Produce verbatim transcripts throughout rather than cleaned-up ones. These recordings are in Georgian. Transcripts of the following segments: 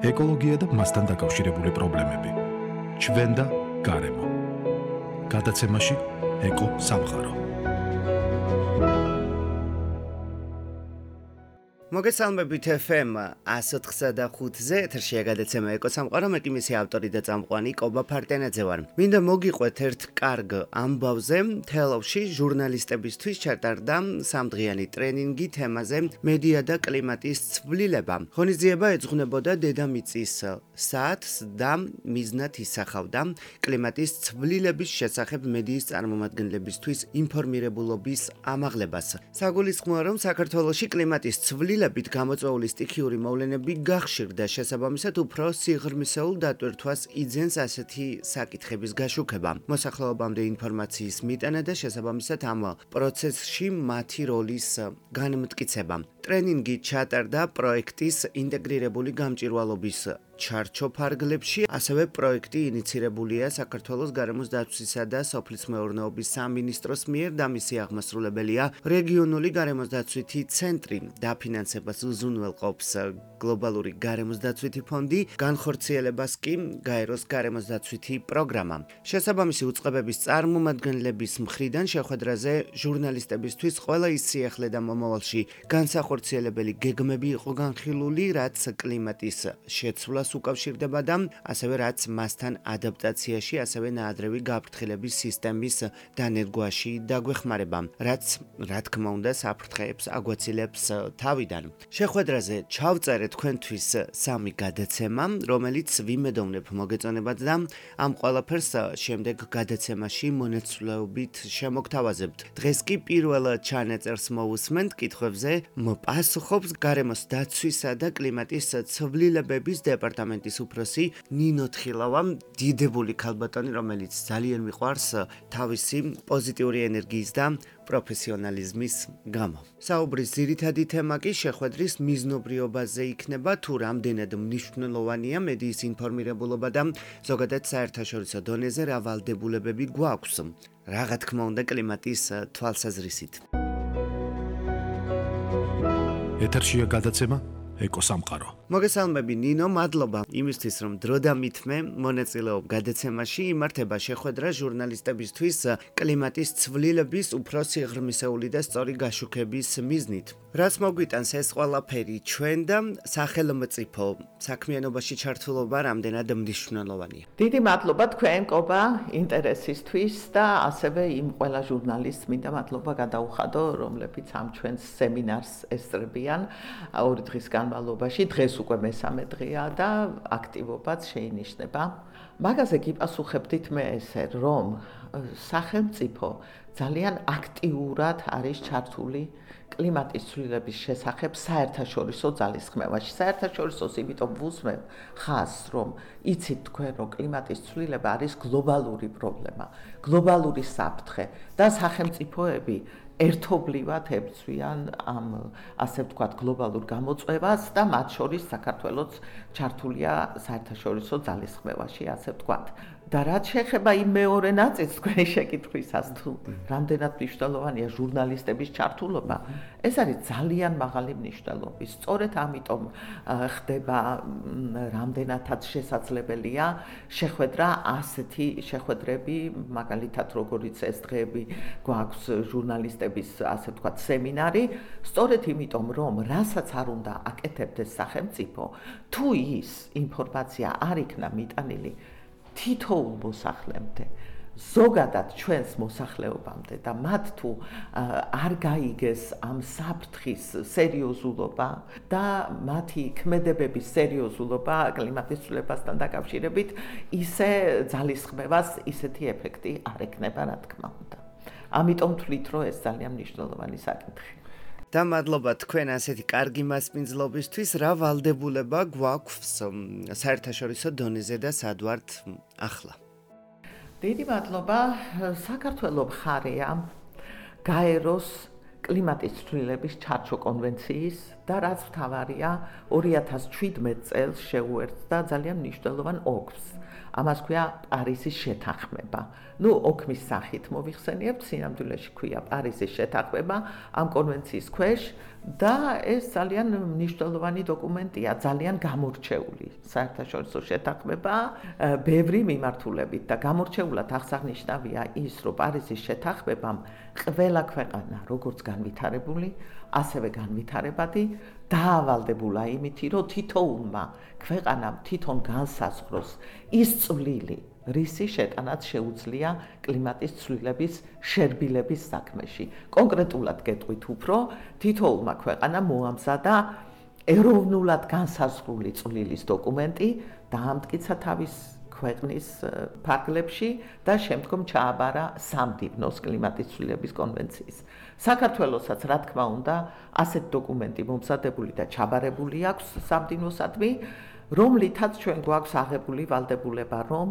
ეკოლოგია და მასთან დაკავშირებული პრობლემები. ჩვენ და გარემო. გადაცემაში ეკო სამყარო. მოგესალმებით ეფ ემ ათს ოთხსა და ხუთზე ეთერშია გადაცემა ეკო სამყარო, მე კი მისი ავტორი და წამყვანი კობა ფარტენაძე ვარ. მინდა მოგიყვეთ ერთ კარგ ამბავზე. თელავში ჟურნალისტებისთვის ჩატარდა სამდღიანი ტრენინგი თემაზე მედია და კლიმატის ცვლილება. ღონისძიება ეძღვნებოდა დედამიწის საათს და მიზნად ისახავდა კლიმატის ცვლილების შესახებ მედიის წარმომადგენლებისთვის ინფორმირებულობის ამაღლებას. საგულისხმოა, რომ საქართველოში კლიმატის ცვლილება გამოწვეული სტიქიური მოვლენები გახშირდა, შესაბამისად უფრო სიღრმისეულ დატვირთვას იძენს ასეთი საკითხების გაშუქება. მოსახლეობამდე ინფორმაციის მიტანა და შესაბამისად ამ პროცესში მათი როლის განმტკიცება. ტრენინგი ჩატარდა პროექტის ინტეგრირებული გამჭვირვალობის ჩარჩო ფარგლებში, ასევე პროექტი ინიცირებულია საქართველოს გარემოს დაცვისა და სოფლის მეურნეობის სამინისტროს მიერ და მისი აღმასრულებელია რეგიონული გარემოს დაცვითი ცენტრი. დაფინანსებას უზრუნველყოფს გლობალური გარემოს დაცვითი ფონდი, განხორციელებას კი გაეროს გარემოს დაცვითი პროგრამა. შესაბამისი უწყებების წარმომადგენლების მხრიდან შეხვედრაზე ჟურნალისტებისთვის ყველა ის სიახლე და მომავალში განსახორციელებელი გეგმები იყო განხილული, რაც კლიმატის შეცვლას უკავშირდება და ასევე რაც მასთან ადაპტაციაში, ასევე ნაადრევი გაფრთხილების სისტემის დანერგვაში დაგვეხმარება, რაც რა თქმა უნდა საფრთხეებს აგვაცილებს თავიდან. შეხვედრაზე ჩავწერე თქვენთვის სამი გადაცემა, რომელიც ვიმედოვნებ მოგეწონებათ და ამ ყველაფერს შემდეგ გადაცემაში მონაცვლეობით შემოგთავაზებთ. დღეს კი პირველ ჩანაწერს მოვუსმენთ, კითხვებზე მოპასუხობს გარემოს დაცვისა და კლიმატის ცვლილებების დეპარტამენტის უფროსი ნინო თხილავა, დიდებული ქალბატონი, რომელიც ძალიან მიყვარს თავისი პოზიტიური ენერგიის და პროფესიონალიზმის გამო. საუბრის ძირითადი თემა კი შეხვედრის მიზნობრიობაზე იქნება, თუ რამდენად მნიშვნელოვანია მედიის ინფორმირებულობა და ზოგადად საერთაშორისო დონეზე რა ვალდებულებები გვაქვს, რა თქმა უნდა კლიმატის თვალსაზრისით. ეთერშია გადაცემა ეკო სამყარო. მოგესალმები ნინო, მადლობა იმისთვის, რომ დრო დამითმე მონაწილეობ გადაცემაში. იმართება შეხვედრა ჟურნალისტებისთვის კლიმატის ცვლილების უფრო სიღრმისეული და სწორი გაშუქების მიზნით. რაც მოგვიტანს ეს ყველაფერი ჩვენ და სახელმწიფო საქმიანობაში ჩართულობა რამდენად მნიშვნელოვანია. დიდი მადლობა თქვენ კობა ინტერესისთვის და ასევე იმ ყველა ჟურნალისტს მინდა მადლობა გადაუხადო, რომლებიც ამ ჩვენს სემინარს ესწრებიან ორი დღის განმავლობაში. დღეს უკვე მესამე დღეა და აქტივობაც შეინიშნება. მაგაზე გიპასუხებდით მე ესე, რომ სახელმწიფო ძალიან აქტიურად არის ჩართული კლიმატის ცვლილების შესახებ საერთაშორისო ძალისხმევაში. საერთაშორისოს იმიტომ ვუსმენ ხაზს, რომ იცით თქვენ, რომ კლიმატის ცვლილება არის გლობალური პრობლემა, გლობალური საფრთხე და სახელმწიფოები ერთობლივად ებრძვიან ამ ასე ვთქვათ გლობალურ გამოწვევას და მათ შორის საქართველოც ჩართულია საერთაშორისო ძალისხმევაში, ასე ვთქვათ. და რაც შეეხება იმ მეორე ნაწილს თქვენი შეკითხვისას, თუ რამდენად მნიშვნელოვანია ჟურნალისტების ჩართულობა, ეს არის ძალიან მაღალი მნიშვნელობის. სწორედ ამიტომ ხდება რამდენადაც შესაძლებელია შეხვედრა, ასეთი შეხვედრები, მაგალითად როგორიც ეს დღეები გვაქვს ჟურნალისტების ასე ვთქვათ სემინარი, სწორედ იმიტომ, რომ რასაც არ უნდა აკეთებდეს სახელმწიფო, თუ ის ინფორმაცია არ იქნა მიტანილი თითოეულ მოსახლემდე, ზოგადად ჩვენს მოსახლეობამდე და მათ თუ არ გაიგეს ამ საფრთხის სერიოზულობა და მათი ქმედებების სერიოზულობა კლიმატის ცვლილებასთან დაკავშირებით, ისე ძალისხმევას ისეთი ეფექტი არ ექნება, რა თქმა უნდა. ამიტომ ვთვლით, რომ ეს ძალიან მნიშვნელოვანი საკითხი. და მადლობა თქვენ ასეთი კარგი მასპინძლობისთვის. რა ვალდებულება გვაქვს საერთაშორისო დონეზე და სად ვართ ახლა? დიდი მადლობა. საქართველო მხარეა გაეროს კლიმატის ცვლილების ჩარჩო კონვენციის და რაც მთავარია ორი ათას ჩვიდმეტ წელს შეუერთდა ძალიან მნიშვნელოვან ოლქს. ამას ქვია პარიზის შეთანხმება. ნუ ოქმის სახით მოვიხსენიებთ, სინამდვილეში ქვია პარიზის შეთანხმება ამ კონვენციის ქვეშ და ეს ძალიან მნიშვნელოვანი დოკუმენტია, ძალიან გამორჩეული საერთაშორისო შეთანხმება ბევრი მიმართულებით და გამორჩეულად აღსანიშნავია ის, რომ პარიზის შეთანხმებამ ყველა ქვეყანა, როგორც განვითარებული, ასევე განვითარებადი, დაავალდებულა იმითი, რომ თითოეულმა ქვეყანამ თვითონ განსაზღვროს ის წვლილი, რისი შეტანაც შეუძლია კლიმატის ცვლილების შერბილების საქმეში. კონკრეტულად გეტყვით უფრო, თითოეულმა ქვეყანამ მოამზადა ეროვნულად განსაზღვრული წვლილის დოკუმენტი, დაამტკიცა თავის ქვეყნის ფარგლებში და შემდგომ ჩააბარა სამდივნოს კლიმატის ცვლილების კონვენციის. საქართველოსაც, რა თქმა უნდა, ასეთ დოკუმენტი მომზადებული და ჩაბარებული აქვს სამდივნოსადმი, რომლითაც ჩვენ გვაქვს აღებული ვალდებულება, რომ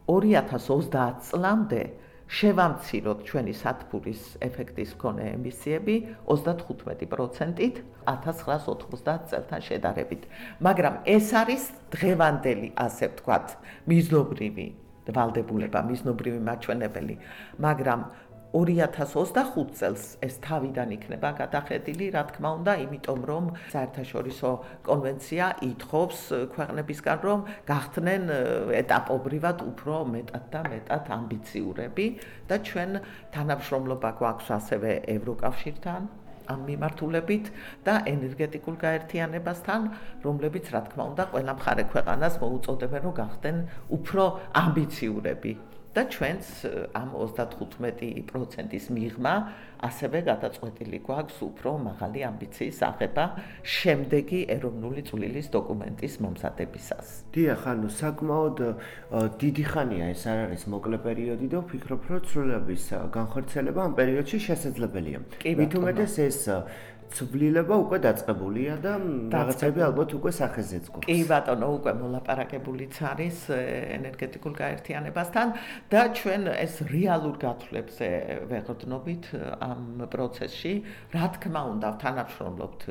ორი ათას ოცდაათ წლამდე შევამციროთ ჩვენი სათბურის ეფექტის მქონე ემისიები ოცდათხუთმეტი პროცენტით ათას ცხრაას ოთხმოცდაათ წელთან შედარებით. მაგრამ ეს არის დღევანდელი, ასე ვთქვათ, მიზნობრივი ვალდებულება, მიზნობრივი მაჩვენებელი, მაგრამ ორი ათას ოცდახუთ წელს ეს თავიდან იქნება გადახედილი, რა თქმა უნდა, იმიტომ რომ საერთაშორისო კონვენცია ითხოვს ქვეყნებისგან, რომ გახდნენ ეტაპობრივად უფრო მეტად და მეტად ამბიციურები და ჩვენ თანამშრომლობა გვაქვს ასევე ევროკავშირთან ამ მიმართულებით და ენერგეტიკულ გაერთიანებასთან, რომლებიც, რა თქმა უნდა, ყველა მხარე ქვეყანას მოუწოდებენ, რომ გახდნენ უფრო ამბიციურები. და ჩვენც ამ ოცდათხუთმეტი პროცენტის მიღმა ასევე გადაწყვეტილი გვაქვს უფრო მაღალი ამბიციის აღება შემდეგი ეროვნული წვლილის დოკუმენტის მომზადებისას. დიახ, ანუ საკმაოდ დიდი ხანია ეს არ არის მოკლე პერიოდი და ვფიქრობ, რომ ცვლილების განხორციელება ამ პერიოდში შესაძლებელია. მით უმეტეს ეს ცვლილება უკვე დაწყებულია და რაღაცები ალბათ უკვე სახეზეც გვაქვს. კი ბატონო, უკვე მოლაპარაკებულიც არის ენერგეტიკულ გაერთიანებასთან და ჩვენ ეს რეალურ გათვლებზე ვეღრდნობით ამ პროცესში, რა თქმა უნდა, თანამშრომლობთ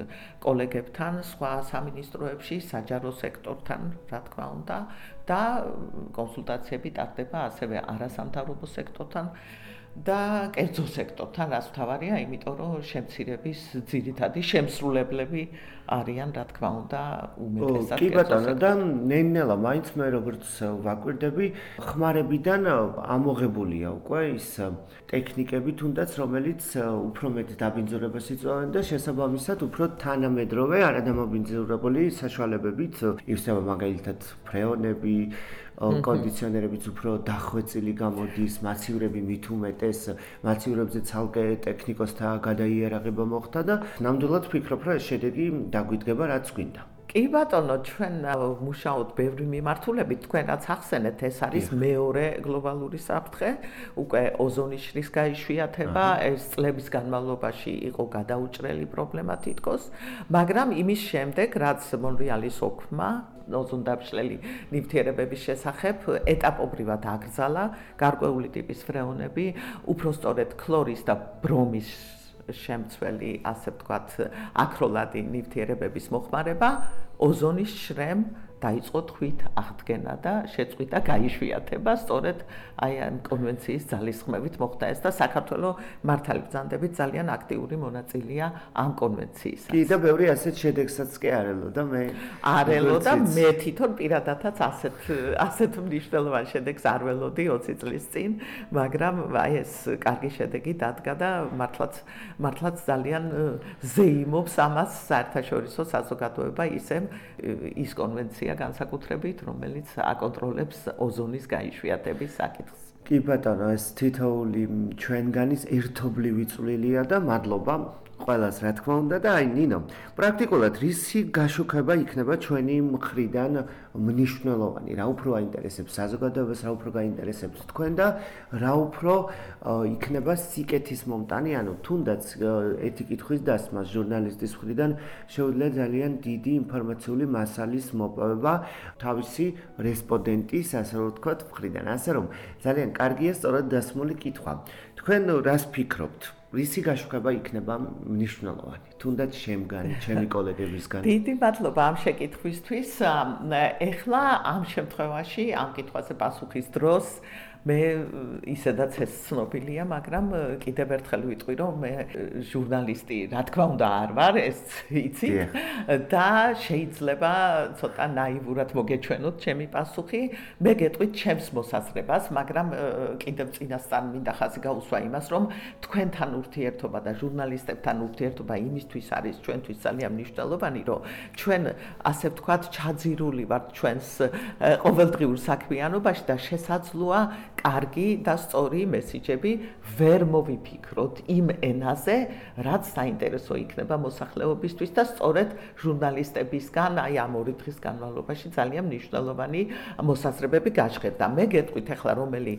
კოლეგებთან, სხვა სამინისტროებში, საჯარო სექტორთან, რა თქმა უნდა, და კონსულტაციები ტარდება ასევე არასამთავრობო სექტორთან. და კერძო სექტორთან, რაც მთავარია, იმიტომ რომ შემცირების ძირითადი შემსრულებლები არიან, რა თქმა უნდა, უმეტესად. კი ბატონო, და ნენელა მაინც მე როგორც ვაკვირდები, ხმარებიდან ამოღებულია უკვე ის ტექნიკები, თუნდაც რომელიც უფრო მეტ დაბინძურებას იწვევენ და შესაბამისად უფრო თანამედროვე არადამაბინძურებული საშუალებებით ივსება მაგალითად ფრეონები, კონდიციონერებიც უფრო დახვეწილი გამოდის, მაცივრები მით უმეტეს, მაცივრებზე ცალკე ტექნიკოსთა გადაიარაღება მოხდა და ნამდვილად ვფიქრობ, რომ ეს შედეგი დაგვიდგება, რაც გვინდა. კი ბატონო, ჩვენ მუშაობთ ბევრი მიმართულებით, თქვენ რაც ახსენეთ, ეს არის მეორე გლობალური საფრთხე, უკვე ოზონის შრის გაიშვიათება, ეს წლების განმავლობაში იყო გადაუჭრელი პრობლემა თითქოს, მაგრამ იმის შემდეგ, რაც მონრეალის ოქმმა ოზონდაბშლელი ნივთიერებების შესახებ ეტაპობრივად აკრძალა გარკვეული ტიპის ფრეონები, უფრო სწორედ ქლორის და ბრომის შემცველი, ასე ვთქვათ, აქროლადი ნივთიერებების მოხმარება, ოზონის შრემ დაიწყო თვით აღდგენა და შეწყვიტა გაიშვიათება, სწორედ აი ამ კონვენციის ძალისხმევით მოხდა ეს და საქართველოს მართალი ბრძანდებით ძალიან აქტიური მონაწილეა ამ კონვენციისა. კი და ბევრი ასეთ შედეგსაც კი არელო და მე არელო და მე თვითონ პირადადაც ასეთ ასეთ მნიშვნელოვან შედეგს არ ველოდი ოცი წლის წინ, მაგრამ აი ეს კარგი შედეგი დადგა და მართლაც მართლაც ძალიან ზეიმობს ამას საერთაშორისო საზოგადოება ისე ის კონვენცია განსაკუთრებით, რომელიც აკონტროლებს ოზონის გაიშვიათების საკითხს. კი ბატონო, ეს თითოეული ჩვენგანის ერთობლივი წვლილია და მადლობა ყველას, რა თქმა უნდა და აი ნინო, პრაქტიკულად რისი გაშუქება იქნება ჩვენი მხრიდან მნიშვნელოვანი, რა უფრო აინტერესებს საზოგადოებას, რა უფრო გაინტერესებს თქვენ და რა უფრო იქნება სიკეთის მომტანი, ანუ თუნდაც ერთი კითხვის დასმა ჟურნალისტის მხრიდან შეუძლია ძალიან დიდი ინფორმაციული მასალის მოპოვება თავისი რესპონდენტის, ასე ვთქვათ, მხრიდან, ასე რომ ძალიან კარგია სწორად დასმული კითხვა. თქვენ რას ფიქრობთ? რისი გაშუქება იქნება მნიშვნელოვანი? თუნდაც შემგანი, ჩემი კოლეგებისგან. დიდი მადლობა ამ შეკითხვისთვის. ეხლა ამ შემთხვევაში ამ კითხვაზე პასუხის დროს მე ისედაც ეს ცნობილია, მაგრამ კიდევ ერთხელ ვიტყვი, რომ მე ჟურნალისტი, რა თქმა უნდა, არ ვარ, ეს იცით და შეიძლება ცოტა ნაივურად მოგეჩვენოთ ჩემი პასუხი. მე გეტყვით ჩემს მოსაზრებას, მაგრამ კიდევ წინასწარ მინდა ხაზი გაუსვა იმას, რომ თქვენთან ურთიერთობა და ჟურნალისტებთან ურთიერთობა იმისთვის არის ჩვენთვის ძალიან მნიშვნელოვანი, რომ ჩვენ ასე ვთქვათ, ჩაძირული ვართ ჩვენს ყოველდღიურ საქმიანობაში და შესაძლოა კარგი და სწორი მესიჯები ვერ მოვიფიქროთ იმ ენაზე, რაც საინტერესო იქნება მოსახლეობისთვის და სწორედ ჟურნალისტებისგან აი ამ ორი დღის განმავლობაში ძალიან მნიშვნელოვანი მოსაზრებები გაჟღერდა. მე გეტყვით ახლა რომელი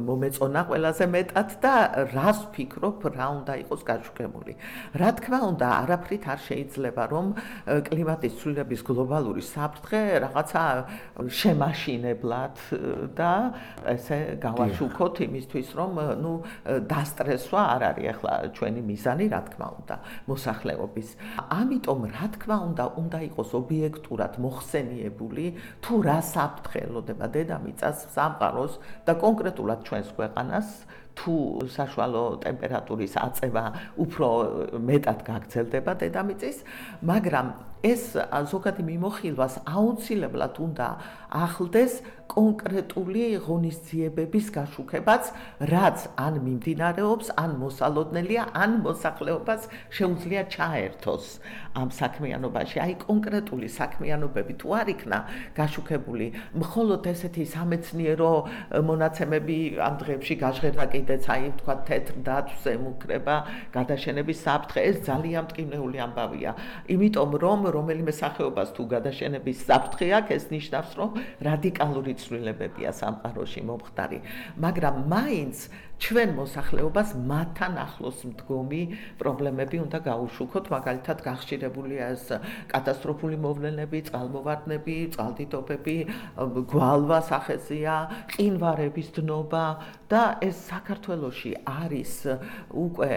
მომეწონა ყველაზე მეტად და რას ვფიქრობ, რა უნდა იყოს გაშუქებული. რა თქმა უნდა, არაფრით არ შეიძლება რომ კლიმატის ცვლილების გლობალური საფრთხე რაღაცა შემაშინებლად და ესე გავაშუქოთ იმისთვის, რომ ნუ დასტრესვა არ არის ახლა ჩვენი მიზანი, რა თქმა უნდა, მოსახლეობის. ამიტომ რა თქმა უნდა, უნდა იყოს ობიექტურად მოხსენიებული, თუ რა საფრთხე ელოდება დედამიწას, სამყაროს და კონკრეტულად ჩვენს ქვეყანას, თუ საშუალო ტემპერატურის აწევა უფრო მეტად გაგრძელდება დედამიწის, მაგრამ ეს ზოგადი მიმოხილვას აუცილებლად უნდა ახლდეს კონკრეტული ღონისძიებების გაშუქებაც, რაც ან მიმდინარეობს, ან მოსალოდნელია, ან მოსახლეობას შეუძლია ჩაერთოს ამ საქმიანობაში. აი კონკრეტული საქმიანობები თუ არ იქნა გაშუქებული, მხოლოდ ესეთი სამეცნიერო მონაცემები ამ დღეებში გაჟღერდა კიდეც, აი თქვა თეთრ დათვს ემუქრება გადაშენების საფრთხე, ეს ძალიან მტკივნეული ამბავია. იმიტომ რომ რომელიმე სახეობას თუ გადაშენების საფრთხე აქვს, ეს ნიშნავს, რომ რადიკალური ცვლილებებია სამყაროში მომხდარი, მაგრამ მაინც ჩვენ მოსახლეობას მათთან ახლოს მდგომი პრობლემები უნდა გაუშუქოთ, მაგალითად გახშირებულია ეს კატასტროფული მოვლენები, წყალმოვარდნები, წყალდიდობები, გვალვა სახეზეა, ყინვარების დნობა და ეს საქართველოში არის უკვე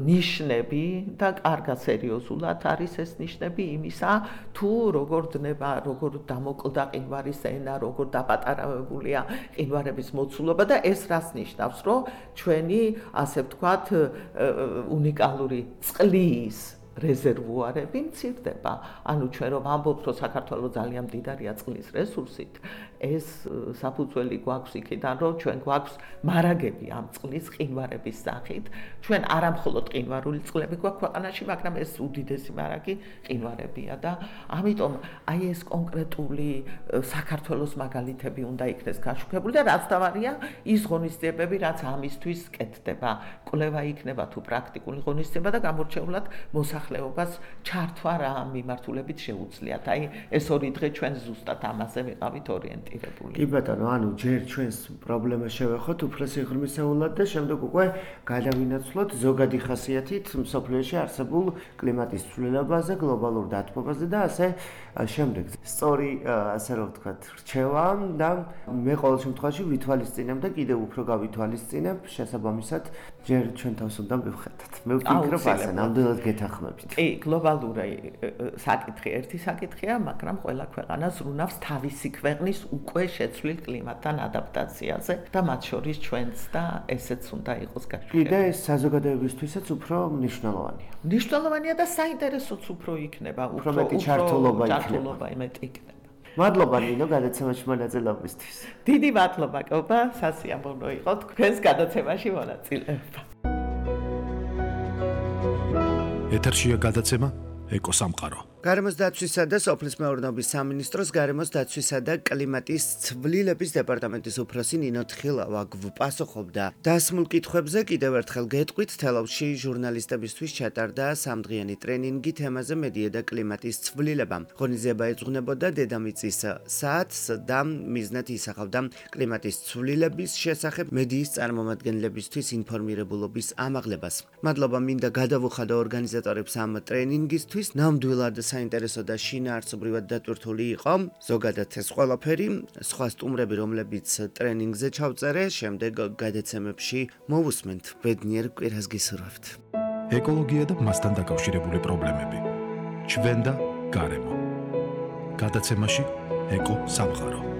ნიშნები და კარგად სერიოზულად არის ეს ნიშნები იმისა, თუ როგორ დნება, როგორ დამოკლდა ყინვარის ენა, როგორ დაპატარავებულია ყინვარების მოცულობა და ეს რას ნიშნავს, რომ ჩვენი, ასე ვთქვათ, უნიკალური წყლის რეზერვუარები მცირდება. ანუ ჩვენ რომ ამბობთ, რომ საქართველოს ძალიან მდიდარია წყლის რესურსით, ეს საფუძველი გვაქვს იქიდან, რომ ჩვენ გვაქვს მარაგები ამ წყლის ყინვარების სახით. ჩვენ არა მხოლოდ ყინვარული წყლები გვაქვს ქვეყანაში, მაგრამ ეს უდიდესი მარაგი ყინვარებია და ამიტომ აი ეს კონკრეტული საქართველოს მაგალითები უნდა იქნეს გაშუქებული და რაც თავარია, ის ღონისძიებები, რაც ამისთვის კეთდება. კვლევა იქნება თუ პრაქტიკული ღონისძიება და გამორჩეულად მოსახლეობას ჩართვა რა მიმართულებით შეუძლიათ. აი ეს ორი დღე ჩვენ ზუსტად ამაზე ვიყავით ორიენტირებული. კი ბატონო, ანუ ჯერ ჩვენს პრობლემას შევეხოთ უფროსი ღრმისეულად და შემდეგ უკვე გადავინაცვლოთ ზოგადი ხასიათით მსოფლიოში არსებულ კლიმატის ცვლილებაზე, გლობალურ დათბობაზე და ასე შემდეგ. სწორი, ასე რომ ვთქვათ, რჩევა და მე ყოველ შემთხვევაში ვითვალისწინებ და კიდევ უფრო გავითვალისწინებ შესაბამისად ჯერ ჩვენ თავს უნდა მივხედოთ. მე ვფიქრობ ასე, ნამდვილად გეთანხმებით. კი, გლობალური საკითხი ერთი საკითხია, მაგრამ ყველა ქვეყანა ზრუნავს თავისი ქვეყნის უკვე შეცვლილ კლიმატთან ადაპტაციაზე და მათ შორის ჩვენც და ესეც უნდა იყოს გაშუქებული. კიდე ეს საზოგადოებისთვისაც უფრო მნიშვნელოვანია. მნიშვნელოვანია და საინტერესოც უფრო იქნება, უფრო მეტი ჩართულობა ჩართულობა მეტი იქნება. მადლობა ნინო გადაცემაში მონაწილეობისთვის. დიდი მადლობა კობა, სასიამოვნო იყო თქვენს გადაცემაში მონაწილეობა. ეთერშია გადაცემა ეკოსამყარო. გარემოს დაცვისა და სოფლის მეურნეობის სამინისტროს გარემოს დაცვისა და კლიმატის ცვლილების დეპარტამენტის უფროსი ნინო თხილავა გვპასუხობდა დასმულ კითხვებზე. კიდევ ერთხელ გეტყვით, თელავში ჟურნალისტებისთვის ჩატარდა სამდღიანი ტრენინგი თემაზე მედია და კლიმატის ცვლილება. ღონისძიება ეძღვნებოდა დედამიწის საათს და მიზნად ისახავდა კლიმატის ცვლილების შესახებ მედიის წარმომადგენლებისთვის ინფორმირებულობის ამაღლებას. მადლობა მინდა გადავუხადო ორგანიზატორებს ამ ტრენინგისთვის. ნამდვილად საინტერესო და შინაარსობრივად დატვირთული იყო. ზოგადად ეს ყველაფერი, სხვა სტუმრები, რომლებიც ტრენინგზე ჩავწერე, შემდეგ გადაცემებში მოვუსმენთ. ბედნიერ კვირას გისურვებთ. ეკოლოგია და მასთან დაკავშირებული პრობლემები. ჩვენ და გარემო. გადაცემაში ეკო სამყარო.